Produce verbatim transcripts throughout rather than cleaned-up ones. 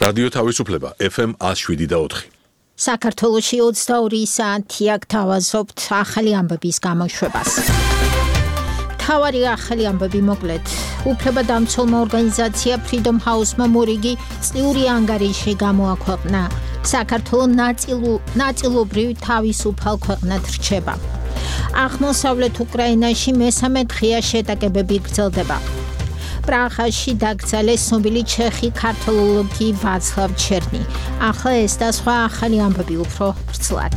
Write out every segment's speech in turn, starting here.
რადიო თავისუფლება ეფ ემ one oh seven და four. საქართველოში ოცდაორი საათია გთავაზობთ ახალი ამბების გამოშვებას. თავარი ახალი ამბები მოკლედ. უფლებადამცველმა ორგანიზაცია Freedom House-მა მორიგი წლიური ანგარიში გამოაქვეყნა. საქართველო ნაწილობრივ თავისუფალ ქვეყნად რჩება. აღმოსავლეთ უკრაინაში მესამე დღეა შეტაკებები გრძელდება. პრაღაში დაკრძალეს ცნობილი ჩეხი ქართველოლოგი ვაცლავ ჩერნი. ახლა ეს და სხვა ახალი ამბები უფრო ვრცლად.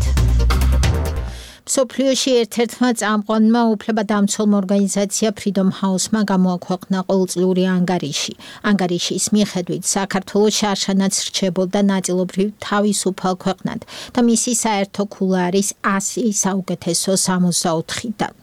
მსოფლიოში ერთ-ერთმა წამყვანმა უფლებადამცველმა ორგანიზაცია Freedom House-მა გამოაქვეყნა ყოველწლიური ანგარიში. ანგარიშის მიხედვით საქართველო შარშანაც რჩებოდა ნაწილობრივ თავისუფალ ქვეყნად და მისი საერთო ქულა არის one hundred საუკეთესო sixty-four-დან.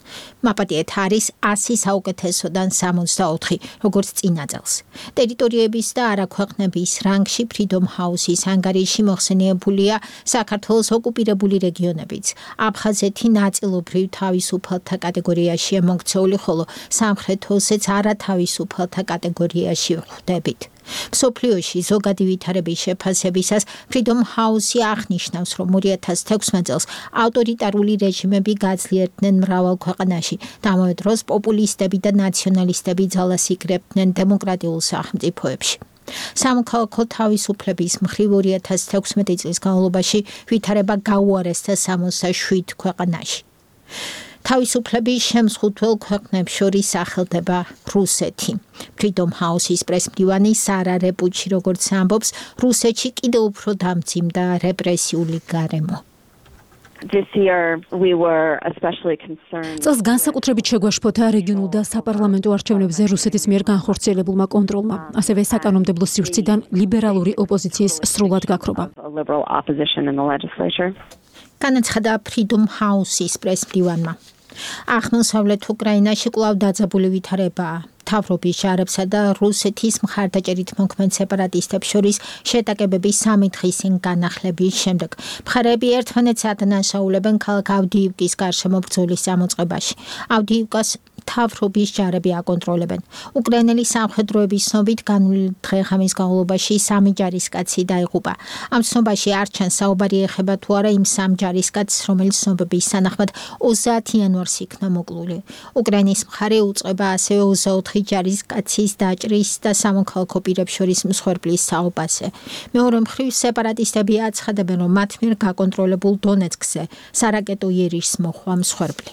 მაპატიეთ არის one hundred საუკეთესოდან sixty-four, როგორც წინა წელს. ტერიტორიების და არაქვეყნების რანგში Freedom House-ის ანგარიში მოხსენიებულია საქართველოს ოკუპირებული რეგიონებიც. აფხაზეთი ნაწილობრივ თავისუფალთა კატეგორიაშია მოქცეული, ხოლო სამხრეთ ოსეთს არათავისუფალთა კატეგორიაში ვხვდებით. მსოფლიოში ზოგადი ვითარების შეფასებისას Freedom House-ი აღნიშნავს, რომ two thousand sixteen წელს ავტორიტარული რეჟიმები გაძლიერდნენ მრავალ ქვეყანაში და ამავე დროს პოპულისტები და ნაციონალისტები ძალას იკრებდნენ დემოკრატიულ სახელმწიფოებში. სამოქალაქო თავისუფლების მხრივ two thousand sixteen წლის განმავლობაში ვითარება გაუარესდა sixty-seven ქვეყანაში. თავისუფლების შემზღუდველ ქვეყნებს შორის სახელდება რუსეთი. Freedom House-ის პრესმდივანი სარა რეპუჩი როგორც ამბობს, რუსეთში კიდევ უფრო დამძიმდა რეპრესიული გარემო. This year we were especially concerned. წელს განსაკუთრებით შეგვაშფოთა რეგიონულ და საპარლამენტო არჩევნებზე რუსეთის მიერ განხორციელებულმა კონტროლმა, ასევე საკანონმდებლო სივრციდან ლიბერალური ოპოზიციის სრულად გაქრობა. განაცხადა Freedom House-ის პრესმდივანმა. აღმოსავლეთ უკრაინაში კვლავ დაძაბული ვითარებაა. მთავრობის ჯარებსა და რუსეთის მხარდაჭერით მოქმედ სეპარატისტებს შორის შეტაკებები სამი დღის წინ განახლების შემდეგ. მხარეები ერთმანეთს ადანაშაულებენ ქალაქ ავდიივკის გარშემო ბრძოლის წამოწყებაში. ავდიივკას მთავრობის ჯარები აკონტროლებენ. უკრაინელი სამხედროების ცნობით განვლილი დღე-ღამის განმავლობაში სამი ჯარისკაცი დაიღუპა. ამ ცნობაში არ ჩანს საუბარი ეხება თუ არა იმ სამ ჯარისკაცს, რომელიც ცნობების თანახმად ოცდაათი იანვარს იქნა მოკლული. უკრაინის მხარე უწყება ასევე ოცდაოთხ ჯარისკაცის დაჭრის და სამოქალაქო პირებს შორის მსხვერპლის საუბარზე. მეორე მხრივ სეპარატისტები აცხადებენ, რომ მათ მიერ გაკონტროლებულ დონეცკზე სარაკეტო იერიშს მოჰყვა მსხვერპლი.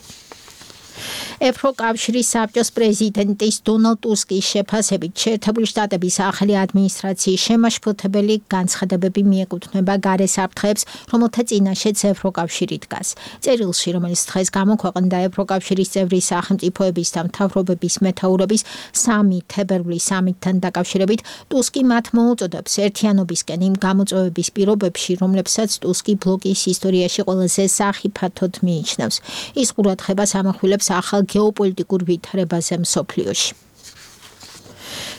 ევროკავშირის საბჭოს პრეზიდენტის დონალდ ტუსკის შეფასებით შეერთებული შტატების ახალი ადმინისტრაციის შემაშფოთებელი განცხადებები მიეკუთვნება გარე საფრთხეებს, რომელთა წინაშეც ევროკავშირი დგას. წერილში, რომელიც დღეს გამოქვეყნდა ევროკავშირის წევრი სახელმწიფოების და მთავრობების მეთაურების სამი თებერვლის სამიტთან დაკავშირებით, ტუსკი მათ მოუწოდებს ერთიანობისკენ იმ გამოწვევების პირობებში, რომლებსაც ტუსკი ბლოკის ისტორიაში ყველაზე სახიფათოდ მიიჩნევს. ის ყურადღებას ამახვილებს ახალ გეოპოლიტიკურ ვითარებაზე მსოფლიოში.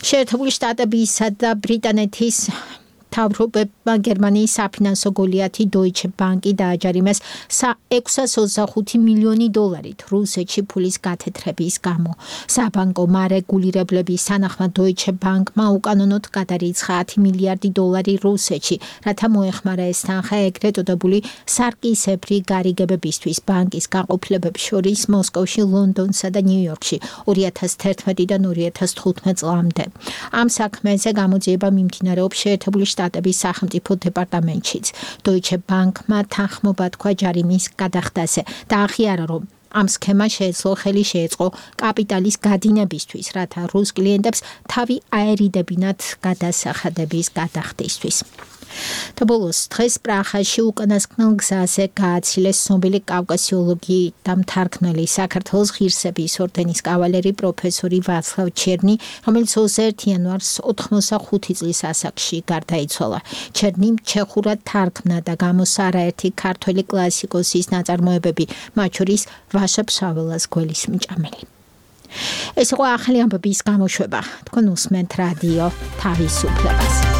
შეერთებული შტატებისა და ბრიტანეთის მთავრობებმა გერმანიის საფინანსო გოლიათი Deutsche Bank-ი დააჯარიმეს ექვსას ოცდახუთი მილიონი დოლარით რუსეთში ფულის გათეთრების გამო. საბანკო მარეგულირებლების თანახმად Deutsche Bank-მა უკანონოდ გადარიცხა ათი მილიარდი დოლარი რუსეთში, რათა მოეხმარა ეს თანხა ეგრეთ წოდებული სარკისებრი გარიგებებისთვის ბანკის გაყოფილებებს შორის მოსკოვში, ლონდონსა და ნიუ-იორკში two thousand eleven-დან two thousand fifteen წლამდე. ამ საქმეზე გამოძიება მიმდინარეობს შეერთებული შტატების სახელმწიფო დეპარტამენტშიც. Deutsche Bank-მა თანხმობა თქვა ჯარიმის გადახდაზე და აღიარა, რომ ამ სქემა შეეძლო ხელი შეეწყო კაპიტალის გადინებისთვის, რათა რუს კლიენტებს თავი აერიდებინათ გადასახადების გადახდისთვის. და ბოლოს დღეს პრაღაში უკანასკნელ გზაზე გააცილეს ცნობილი კავკასიოლოგი და მთარგმნელი საქართველოს ღირსების ორდენის კავალერი პროფესორი ვაცლავ ჩერნი, რომელიც ოცდაერთი იანვარს ოთხმოცდახუთი წლის ასაკში გარდაიცვალა. ჩერნიმ ჩეხურად თარგმნა და გამოსცა არაერთი ქართველი კლასიკოსის ნაწარმოებები, მათ შორის ვაშა ფშაველას გველის მჭამელი. ეს იყო ახალი ამბების გამოშვება. თქვენ უსმენთ რადიო თავისუფლებას.